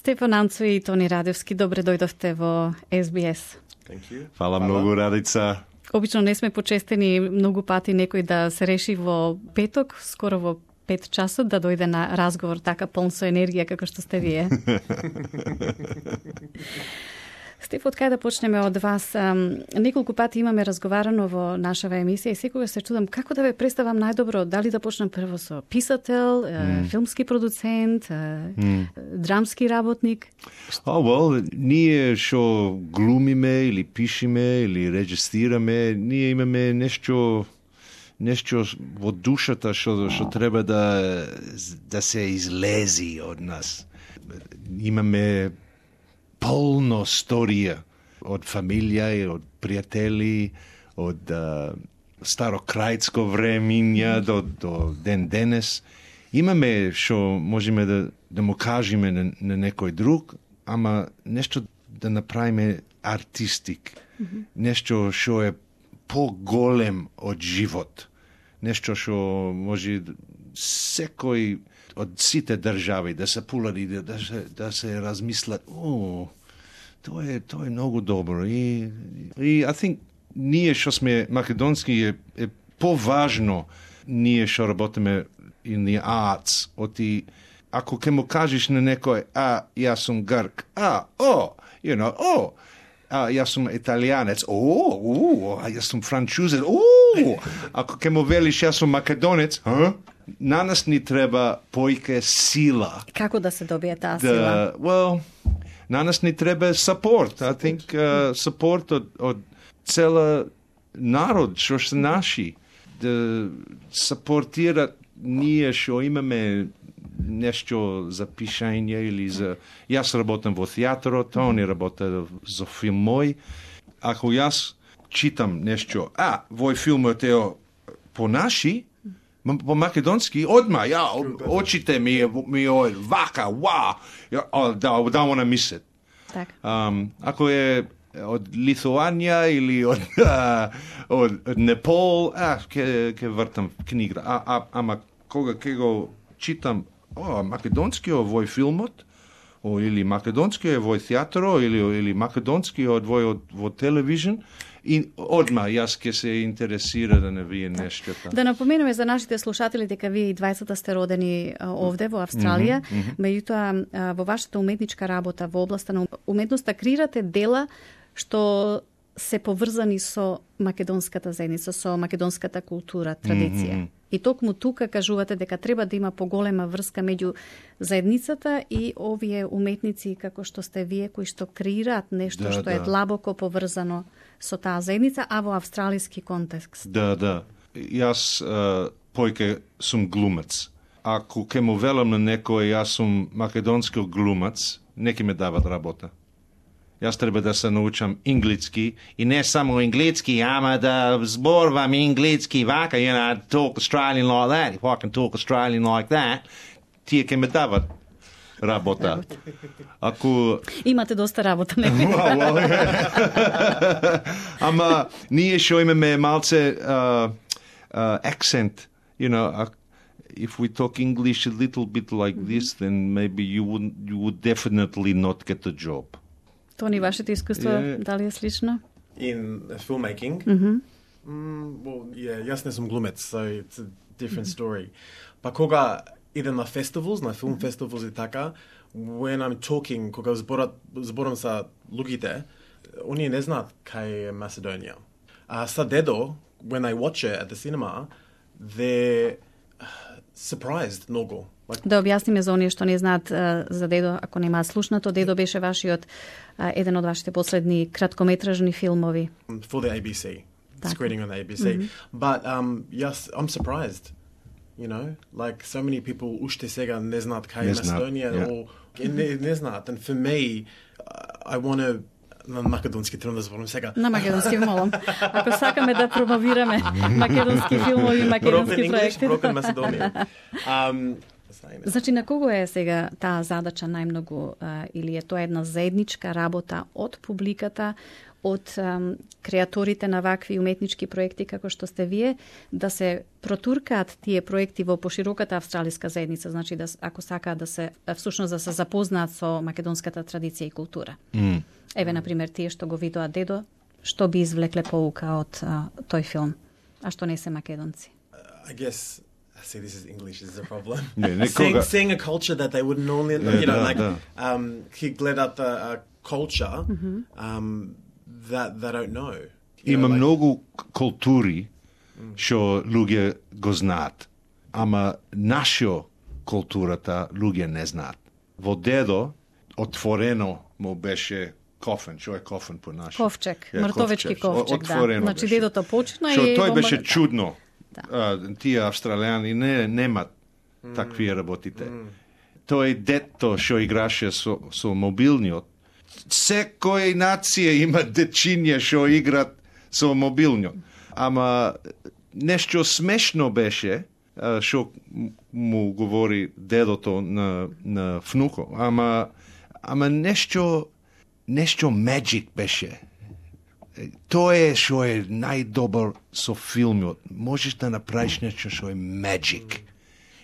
Стефан Анцо и Тони Радевски, добре дојдовте во SBS. Фала многу, Радица. Обично не сме почестени многу пати некој да се реши во петок, скоро во 5 часот, да дојде на разговор така полн со енергија како што сте вие. Стеф, од кај да почнеме од вас? Неколку пати имаме разговарано во нашава емисија и секогаш се чудам како да ве представам најдобро, дали да почнем прво со писател, филмски продуцент, драмски работник? Ние што глумиме или пишеме или режисираме, ние имаме нешто во душата што треба да се излези од нас. Имаме полно сторија од фамилија и од пријатели, од старокрајцко времиња до ден денес. Имаме што можеме да му кажеме на некој друг, ама нешто да направиме артистик. Нешто што е поголем од живот. Нешто што може секој од сите држави да се пулари, да се размислат, тоа е многу добро. И I think ние што сме македонски е поважно ние што работиме in the arts, ако ке му кажеш на некој, јас сум грк, јас сум италијанец, јас сум франчузец, ако ке му велиш јас сум македонец, на нас ни треба поике сила. Како да се добие таа сила? На нас ни треба support. I think support од цела народ што се наши. Да сапортират ние што имаме нешто за пишање или за... Јас работам во театарот, Тони работа за филм мој. Ако јас читам нешто, вој филмот е по наши, по македонски, одма, очите ми вака, да wanna miss it. Так. Ако е од Литуанија или од Непал, ке вртам книга. Ама кога ке го читам, македонски овој филмот, или македонски овој театро, или македонски овој во телевизион, и одма јас ке се интересира да не вие нештата. Да напоменеме за нашите слушатели дека вие и двајцата сте родени овде во Австралија, меѓутоа во вашата уметничка работа во областа на уметноста креирате дела што се поврзани со македонската заедница, со македонската култура, традиција. И токму тука кажувате дека треба да има поголема врска меѓу заедницата и овие уметници како што сте вие, кои што креираат нешто што е длабоко поврзано со таа заедница, а во австралиски контекст. Да. Јас појке сум глумец. Ако ке му велам на некој јас сум македонски глумец, неки ме дават работа. Јас треба да се научам англиски и не само англиски, ама да зборувам англиски вака, talk Australian like that. If I can talk Australian like that, тие ке ме дават работа. Ако имате доста работа, не? Ама ние што имаме малце accent, if we talk English a little bit like this, then maybe you would definitely not get the job. Тони, вашето искуство дали е слично? In filmmaking? Јас не сум глумец, so it's a different story. Па кога идем на festivals, на film festivals и така, when I'm talking, кога зборам са луѓите, оние не знаат кај е Macedония. Са дедо, when I watch it at the cinema, they're surprised многу. Да објасниме за оние што не знаат за дедо, ако немаат слушнато, дедо беше вашиот еден од вашите последни краткометражни филмови. For the ABC, screening on the ABC. But yes, I'm surprised. Like so many people уште сега не знаат кај е Macedоnia, не знаат. And for me, I want to на македонски трудно да зборам сега. На македонски молам. Ако сакаме да промовираме македонски филмови, македонски проекти. Broken Macedonia. say now. Значи, на кого е сега таа задача најмногу, или е тоа една заедничка работа од публиката, од креаторите на вакви уметнички проекти како што сте вие, да се протуркаат тие проекти во пошироката австралиска заедница, значи да, ако сакаат да се всушност да се запознаат со македонската традиција и култура. Еве, например, тие што го видоа дедо, што би извлекле поука од тој филм, а што не се македонци? I guess, see, this is English, this is a problem. Yeah, seeing a culture that they wouldn't normally, he gleda a culture that they don't know. Има многу култури што луѓе го знаат, ама нашо културата луѓе не знаат. Во дедо отворено му беше кофен, што е кофен по нашо? Ковчег, мртовечки ковчег, да. Значи дедото почна и тој го беше чудно. Тие австралијани немат такви работите. Тој дето што играше со мобилниот. Секој нација има дечиња што играт со мобилниот. Ама нешто смешно беше што му говори дедото на внуко. Ама нешто magic беше. Тоа е што е најдобар со филмот. Можеш да направиш нешто што е magic.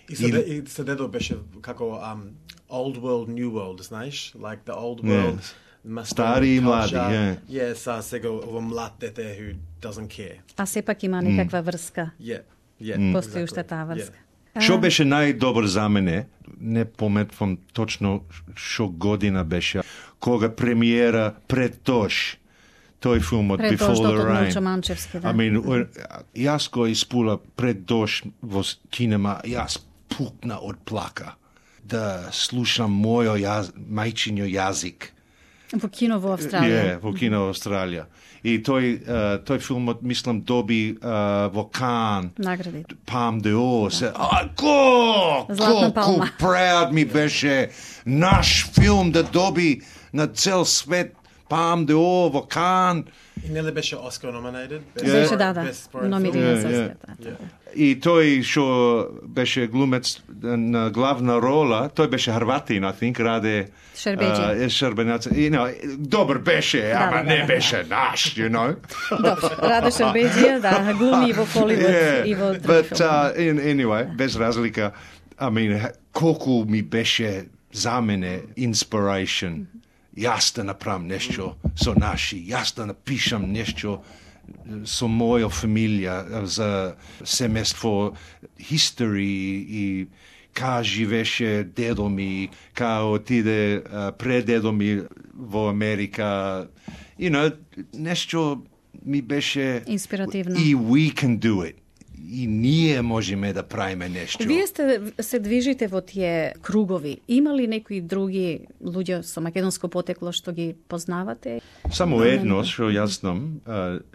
И се дедо беше како old world, new world, знаеш? Like the old world. Стари и млади, Yes, сега ово млад дете who doesn't care. А сепак има некаква врска. Постои уште таа врска. Што беше најдобар за мене, не пометвам точно што година беше, кога премиера пред тош, тој филмот Before the Rain. Јас го испула пред дош во кинема, јас пукна од плака да слушам мојо мајчињо јазик. Во кино во Австралија. Во кино во Австралија. И тој филмот, мислам, доби во Кан. Награди. Palme d'Or. Колку proud ми беше наш филм да доби на цел свет Palme d'Or во Кан. И нели беше Oscar nominated? Беше, номиниран за Оскар. И тој што беше глумец на главна рола, тој беше Хрватин, I think, Раде Шербенаца. Добар беше, ама не беше наш, you know. Раде Шербеджија, глуми во Холивуд и во други филми. But anyway, без разлика, колку ми беше за мене inspiration. Јас да направам нешто со наши, јас да напишам нешто со моја фамилија за семејство, history и ка живеше дедо ми, ка отиде предедо ми во Америка. Нешто ми беше инспиративно. И we can do it. И ние можеме да правиме нешто. Вие се движите во тие кругови. Има ли некои други луѓе со македонско потекло што ги познавате? Само едно што јас знам,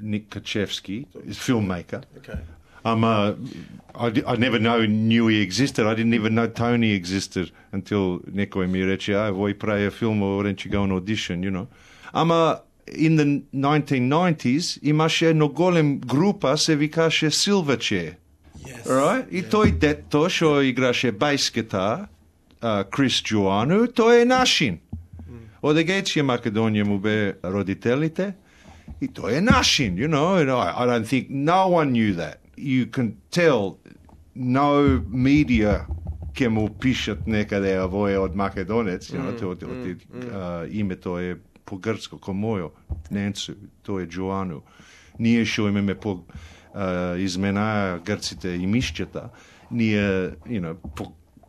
Ник Качевски, filmmaker. Okay. I never knew he existed. I didn't even know Tony existed until некој ми рече, вој прави филм, why don't you go on audition, you know. In the 1990s имаше едно голем група, се викаше Silverchair. Yes. Right? И тој дето што играше бајс гитар, Крис Джоану, тој е нашин. Од Егејција Македонија му бе родителите, и тој е нашин, you know. And I don't think no one knew that. You can tell no media ке му пишат некаде овој од македонец, you know, името е по грцко, ко мојо, Ненцу, тоа е Джоану. Ние што имаме по измена грците и мишчета, ние,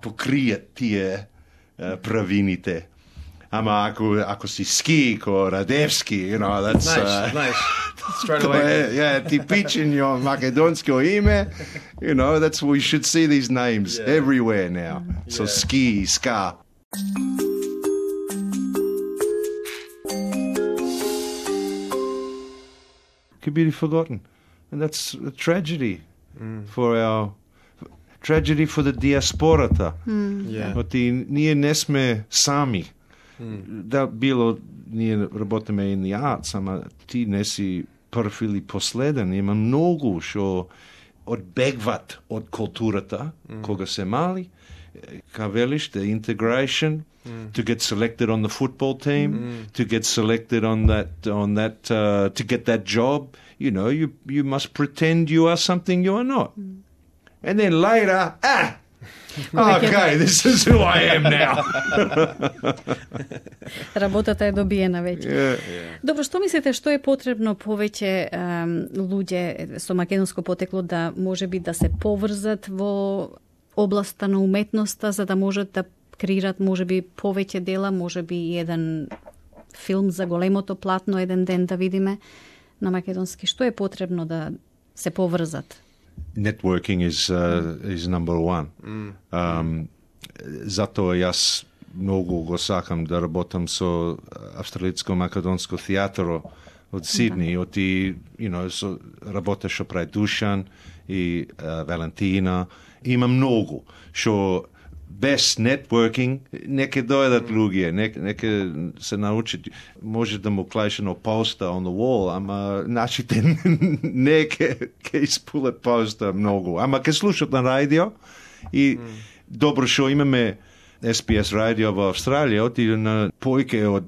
покријат тие правините. Ама ако си ски, ко Радевски, that's... Nice. Straight away. Yeah, типичен македонско име, that's we should see these names everywhere now. So ski, ska. Could be forgotten, and that's a tragedy for the диаспората. Ние не сме сами. Да било ние работиме in the arts, ама ти не си прв или последен. Има многу што одбегват од културата кога се мали Kavelish, the integration, to get selected on the football team, to get selected on that, to get that job. You know, you must pretend you are something you are not. And then later, okay, this is who I am now. Работата е добиена веќе. Добро, што мислите, што е потребно повеќе луѓе со македонско потекло да можеби да се поврзат во областа на уметноста, за да можат да креират можеби повеќе дела, можеби еден филм за големото платно еден ден да видиме на македонски? Што е потребно да се поврзат? Networking is number one. Затоа јас многу го сакам да работам со австралијско-македонско театро од Сидни, работа што прави Душан и Валентина. Има многу што без networking неке дојдат луѓе, неке се научат, може да му клајш едно поста on the wall, ама нашите не ке испулат поста многу, ама ке слушат на радио и добро што имаме SBS радио во Австралија, оти на поике од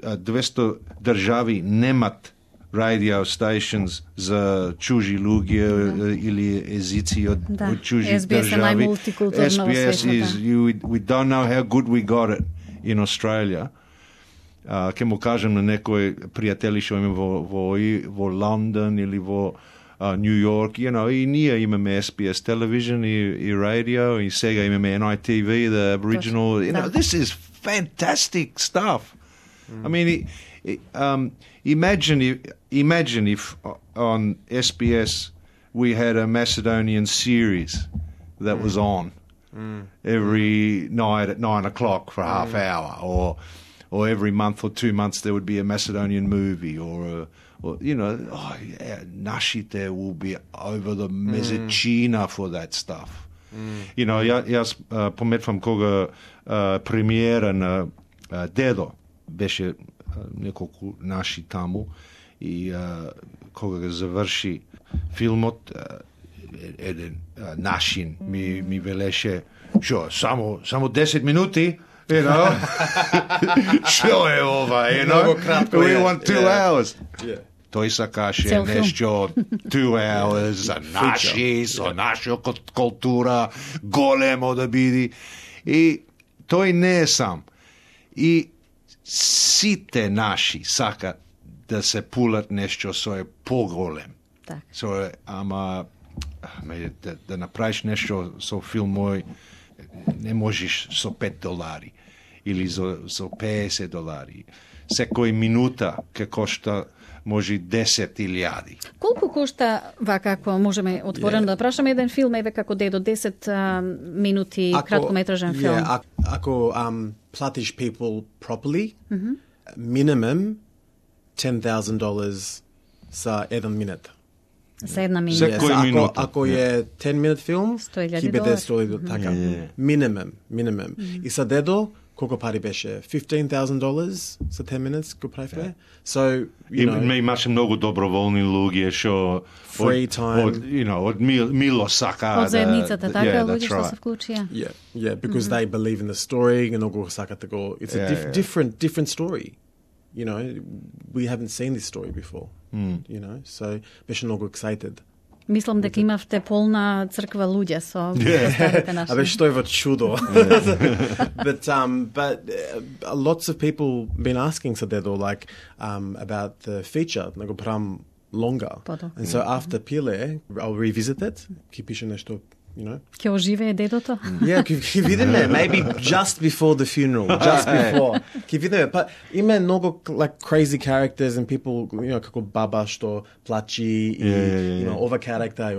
200 држави немат radio stations за чужи луѓе или езици од чужи држави. SBS is, we don't know how good we got it in Australia. Ке му кажем на некој пријатели што има во Лондон или во Нью Йорк, и ние имаме SBS television и radio, и сега имаме NITV, the Aboriginal, this is fantastic stuff. I mean, imagine if on SBS we had a Macedonian series that was on every night at 9 o'clock for a half hour, or every month or 2 months there would be a Macedonian movie, or Нашите will be over the Mesečina for that stuff. Јас пометвам кога премиера на Дедо беше неколку наши таму и кога го заврши филмот, еден нашин ми велеше, шо, само 10 минути, шо е ова, we want 2 hours. Тој сакаше нешто 2 hours за наши, со наша култура, големо да биде. И тој не е сам. И сите наши сакат да се пулат нешто со е поголем. Ама да направиш нешто со филм мој, не можеш со $5 или со $50. Секој минута ке кошта може 10,000. Колку кошта, вака, ако можеме отворено да прашаме, еден филм, еве како Дедо, 10 минути краткометражен филм? Ако платиш people properly, minimum $10,000 за 1 минут. За 1 минута. Секој минута. Ако е 10-minute филм, ќе биде $100,000. така. Minimum. И за Дедо, колку пари беше? $15,000 за 10 minutes го правивме. So, имаше многу доброволни луѓе што free time, од мило сака од заедницата, така луѓе што се вклучија. Yeah, because they believe in the story and многу сакат да го. It's a different story. We haven't seen this story before. So беше многу excited. Мислам дека имавте полна црква луѓе со старите наши. Абе што е во чудо. But lots of people been asking за Дедо, like about the feature, да го правам longer. And so after Pile, I'll revisit it. Ке пише нешто, Ке оживее Дедото? Yeah, ке видиме, maybe just before the funeral, just before. Ке видиме, but има многу like crazy characters and people, како баба што плачи и ова character,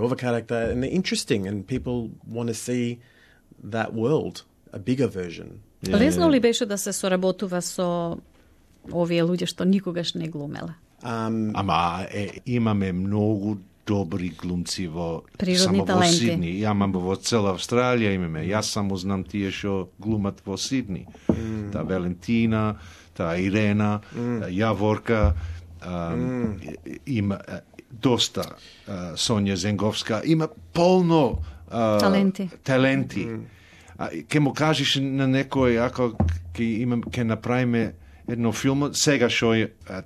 and they're interesting and people want to see that world, a bigger version. Лесно ли беше да се соработува со овие луѓе што никогаш не глумеле? Ама имаме многу добри глумци само во Сидни. Ама во цела Австралија имаме. Јас само знам тие што глумат во Сидни. Та Валентина, та Ирена, Јаворка, има доста Сонја Зенговска, има полно таленти. ке му кажеш на некој, ако ке направиме едно филм, сега шо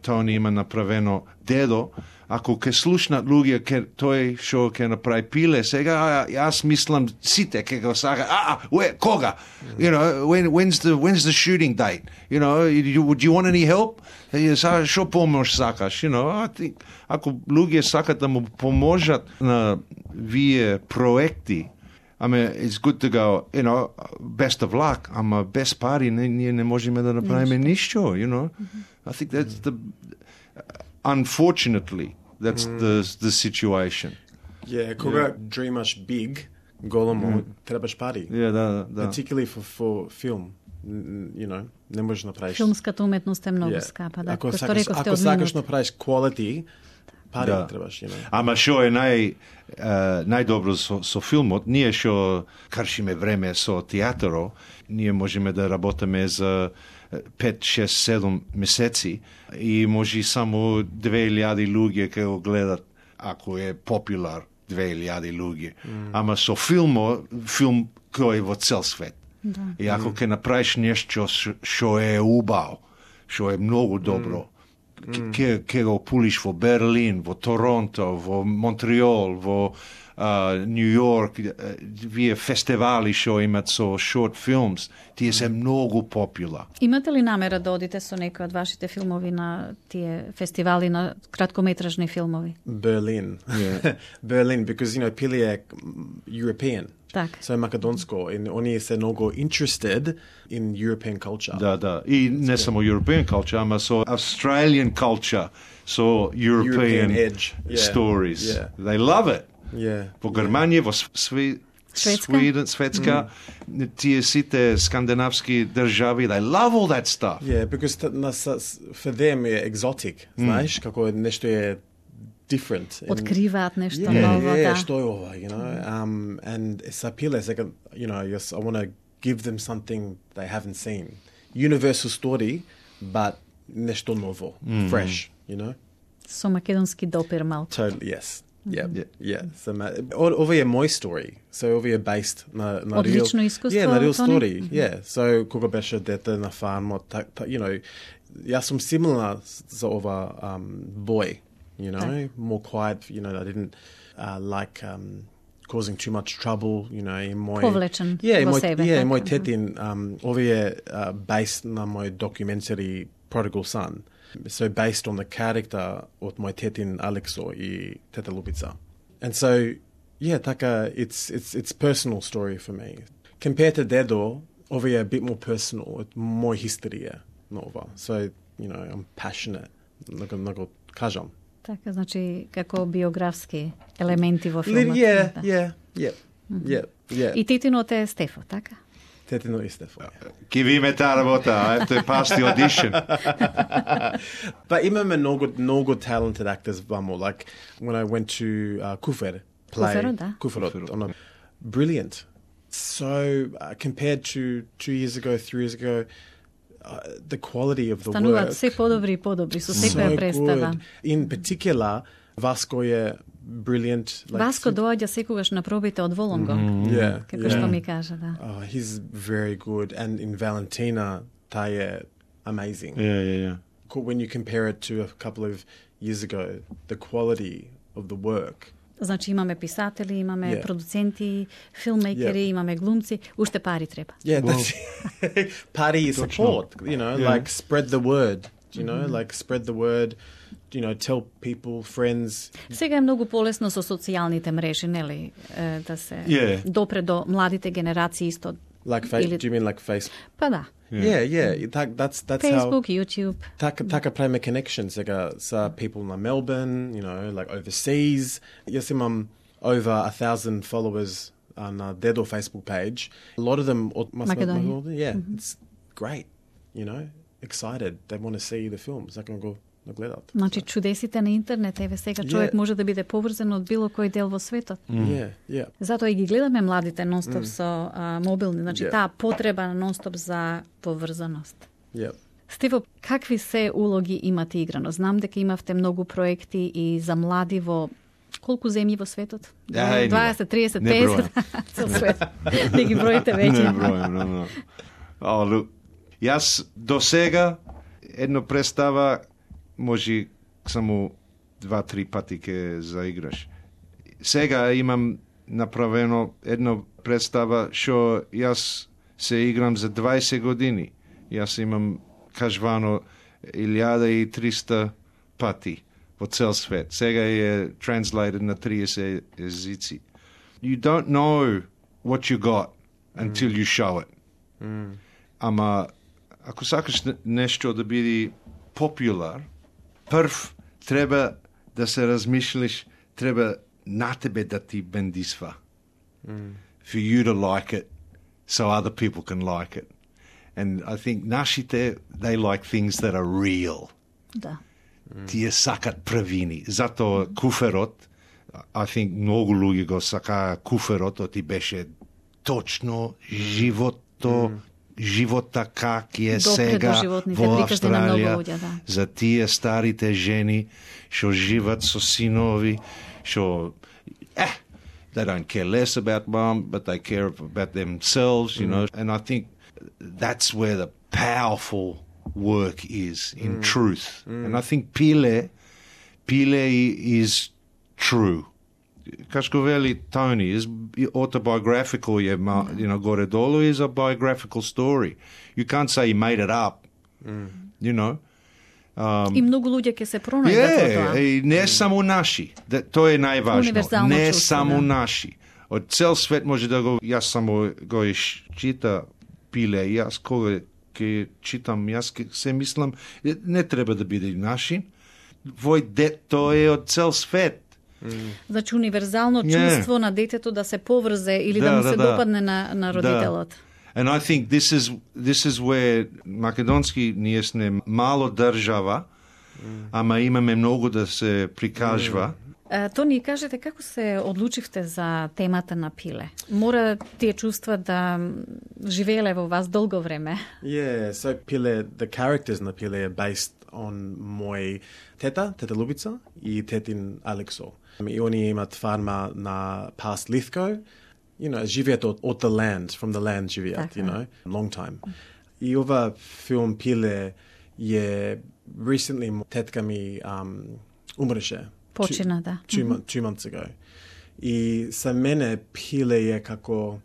Тони има направено Дедо, ако ке слушнат луѓе, тој шо ке направи Пиле, сега јас мислам сите ке го сака, кога? You know, when's the shooting date? You know, do you want any help? Шо помош сакаш? You know, I think, ако луѓе сакат да му поможат на вие проекти, it's good to go, you know, best of luck, ама без пари ние не можеме да направиме ништо, you know. I think that's unfortunately, that's the situation. Yeah, кога dreamаш big, големо, требаш пари. Да. Particularly for film, you know, не можеш направиш. Филмската уметност е многу скапа, да. Ако сакаш направиш quality, пари требаш, you know. Ама шо е најдобро со филмот, ние шо кршиме време со театро, ние можеме да работиме за 5, 6, 7 месеци и може само 2000 луѓе ке го гледат, ако е популар 2000 луѓе. Ама со филм кој е во цел свет. Да. И ако ке направиш нешто шо е убаво, шо е многу добро, ке го пулиш во Берлин, во Торонто, во Монтреол, во Нью Йорк, вие фестивали шо имат со short films, тие се многу попула. Имате ли намера да одите со некој од вашите филмови на тие фестивали на краткометражни филмови? Berlin. Yeah. Berlin, because, you know, Pili е European. Так. So македонско, и они се многу interested in European culture. Да. И не само European culture, ама со Australian culture, so European edge. Stories. Yeah. They love it. Yeah. Во Германија, во Шведска, тие сите скандинавски држави, they love all that stuff. Yeah, because for them е exotic, знаеш, како нешто е different. Откриваат нешто ново, да. Што е ова, you know? And са Пиле, you know, I want to give them something they haven't seen. Universal story, but nешто ново, fresh, you know? Со македонски допир малку. Totally, yes. Yeah. So, ова е мој story. So, ова е based на одлично искуство. Yeah, на real story. Yeah. So, кога беше дете на фармот, you know, јас сум similar за ова boy, you know, more quiet, you know, I didn't like causing too much trouble, you know, и мој повлечен во себе. Yeah, мој тетин ова е based на мој documentary Prodigal Son. So based on the character of my tetin Alexo и teta Lubica. And so, yeah, taka, it's personal story for me. Compared to Dedo, over a bit more personal, it's more history, nova. So, you know, I'm passionate. Много кажам. Така, значи, како биографски елементи во филмот. Yeah. И тетинот е Стефо, така? Tetino и Стефо. Ки ви ме таа работа, I have to pass the audition. But имаме много talented actors вамо. Like when I went to Kufer play. Kuferot. Brilliant. So compared to 2 years ago, 3 years ago, the quality of the стануваат work. се подобри и подобри со секоја представа. In particular, Vasco е brilliant. Like, Васко доаѓа секогаш на пробите од Волонго. Како што ми кажа, да. He's very good. And in Valentina, таа е amazing. Yeah. When you compare it to a couple of years ago, the quality of the work. Значи имаме писатели, имаме продуценти, филммейкери, имаме глумци, уште пари треба. Yeah, that's party support, you know, like spread the word, you know, like spread the word, you know, tell people, friends. Сега е многу полесно со социјалните мрежи, нели, да се допре до младите генерации исто. Like do you mean like Facebook? Па да. Yeah. That's Facebook, how, YouTube. Така правиме connections сега са people на Melbourne, you know, like overseas. Јас имам over 1,000 followers on Dedo Facebook page. A lot of them Macedonia. Yeah, it's great, you know, excited. They want to see the films. They can go да гледат. Значи чудесите на интернет, еве сега човек може да биде поврзан од било кој дел во светот. Затоа и ги гледаме младите нонстоп со мобилни, значи таа потреба на нонстоп за поврзаност. Стево, какви се улоги имате играно? Знам дека имавте многу проекти и за млади во Колку земји во светот? Ај, 20, 30, не 50? Цел свет. Не ги броите веќе. Не бројам, Јас до сега едно представа може само 2-3 пати ке заиграш. Сега имам направено едно представа што јас се играм за 20 години. Јас имам кажвано 1300 пати во цел свет. Сега е translated на 30 езици. You don't know what you got until you show it. Ама ако сакаш нешто да биде popular, прв треба да се размислиш, треба на тебе да ти бендисва. For you to like it, so other people can like it. And I think нашите, they like things that are real. Да. Тие сакат правини. Затоа куферот, I think многу луѓе го сакаа куферот, оти беше точно живота как е сега во Австралија, за тие старите жени што живат со синови, што they don't care less about mom, but they care about themselves, you know. And I think that's where the powerful work is, in truth. And I think Pile is true. Кашко вели Tony is autobiographical, you know, горе-долу is a biographical story. You can't say he made it up, you know. И многу луѓе ќе се пронајдат во тоа. И не само наши. Тоа е најважно. Не само наши. Од цел свет може да го... Јас само го чита Пиле. Јас кога ќе читам, јас се мислам, не треба да биде наши. Вој дет, тоа е од цел свет. Значи универзално чувство на детето да се поврзе или да му се допадне на родителот. And I think this is where македонски ние сме мало држава, ама имаме многу да се прикажва. Тони, кажете како се одлучивте за темата на Пиле? Мора тие чувства да живееле во вас долго време. Yeah, so Pile, the characters на Pile are based on мој тета Лубица и тетин Алексо. И они имат фарма на Past Lithgow. You know, живеат од the land, from the land живеат, you know, long time. И ова филм Пиле е recently тетка ми умреше. Почина, да. 2 months ago. И за мене Пиле е како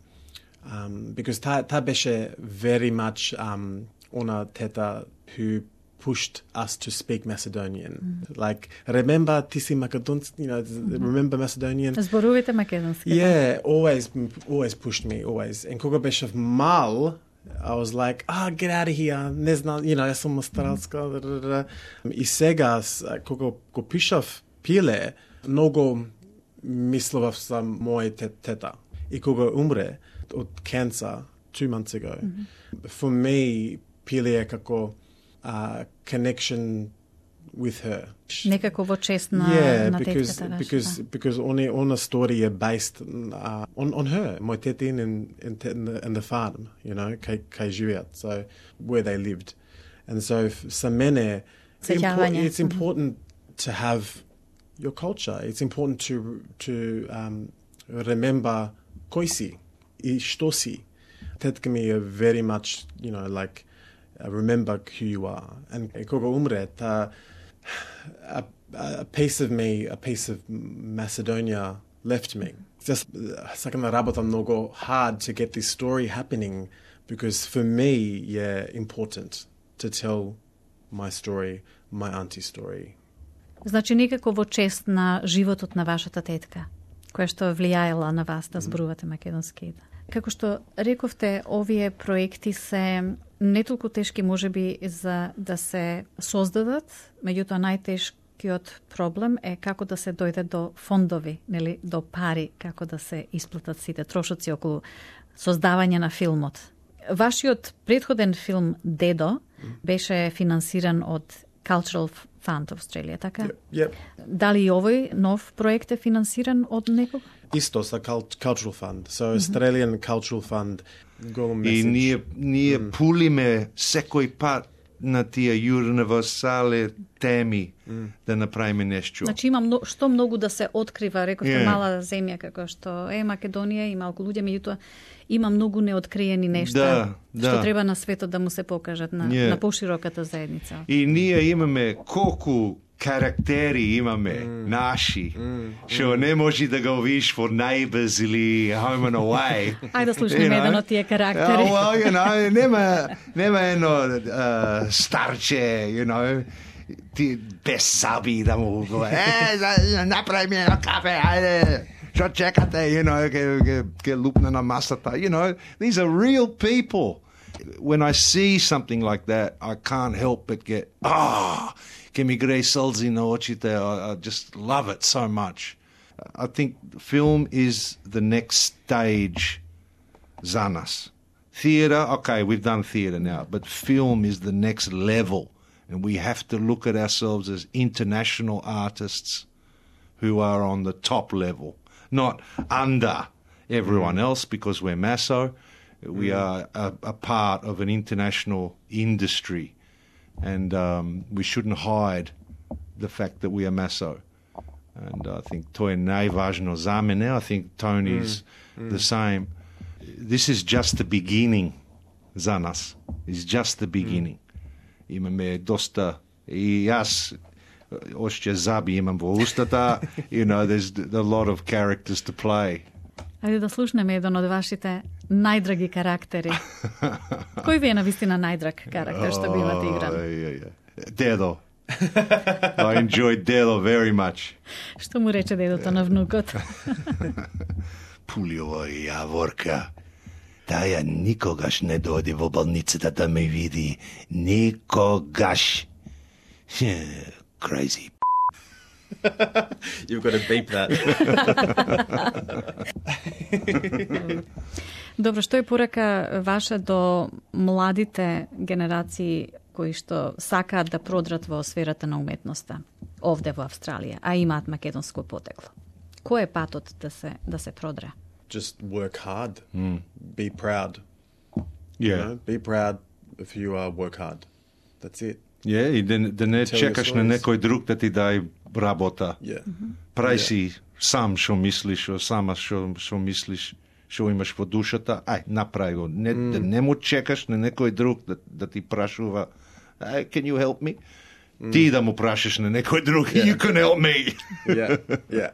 because та беше very much она тета who pushed us to speak Macedonian. Like, remember ти си македонец, you know, remember Macedonian? Зборувате македонски. Yeah, always pushed me, always. And кога беше мал, I was like, get out of here, не знам, you know, јас сум австралска. И сега, кога го пишав Пиле, многу мислував за моја тета. И кога умре од cancer 2 months ago, for me, Pile е како connection with her. Некако во чест на тетката ваша. Because ona story is based on her, мој тетин and the farm, you know, кај живеат, so where they lived. And so за мене it's important to have your culture. It's important to remember кој си и што си. Тетка ми е very much, you know, like remember who you are. And kога umre, a piece of me, a piece of Macedonia left me. Just сакам да работам многу hard to get this story happening, because for me, important to tell my story, my auntie story. Значи некако во чест на животот на вашата тетка, која што влијаела на вас да зборувате македонски. Како што рековте, овие проекти се не толку тешки можеби за да се создадат, меѓутоа најтешкиот проблем е како да се дојде до фондови, нели, до пари, како да се исплатат сите трошоци околу создавање на филмот. Вашиот предходен филм Дедо беше финансиран од Cultural Fund Australia, така? Yep. Дали и овој нов проект е финансиран од некого? Исто са Cultural Fund. So Australian Cultural Fund. И ние пулиме секој пат на тие универсални теми да направиме нешто. Значи има што многу да се открива, рековте мала земја како што е Македонија и малку луѓе, меѓутоа има многу неоткриени нешта што треба на светот да му се покажат на пошироката заедница. И ние имаме колку карактери имаме наши, што не може да го видиш for Neighbours или Home and Away. Ајде да слушнеме еден од тие карактери. Well, нема едно старче, ти без заби да му говори, направи ми едно кафе, ајде, што чекате, ке лупне на масата, these are real people. When I see something like that, I can't help but get, ке ми грее сълзи на очите. I just love it so much. I think film is the next stage za nas. Theatre, okay, we've done theatre now, but film is the next level. And we have to look at ourselves as international artists who are on the top level, not under everyone else because we're Masso. We are a part of an international industry. And we shouldn't hide the fact that we are Masso. And I think to je najvažno za mene. I think Tony's the same. This is just the beginning za nas. It's just the beginning. Имаме доста и јас още заби имам во устата. There's a lot of characters to play. Ајде да слушнеме еден од вашите најдраги карактери. Кој ви е навистина најдраг карактер што би имате игран? Дедо. I enjoyed Дедо very much. Што му рече дедото на внукот? Пулјова јаворка. Таја никогаш не дојде во болницата да ме види. Никогаш. Crazy. You've got to beep that. Добро, што е порака ваша до младите генерации кои што сакаат да продрат во сферата на уметноста овде во Австралија, а имаат македонско потекло? Кој е патот да се продре? Just work hard. Be proud. Yeah. Be proud if you work hard. That's it. И да не чекаш на некој друг да ти дај работа. Прај си сам што мислиш, сама што мислиш, што имаш во душата, направи го. Не му чекаш на некој друг да ти прашува, can you help me? Ти да му прашаш на некој друг, you can help me. Yeah.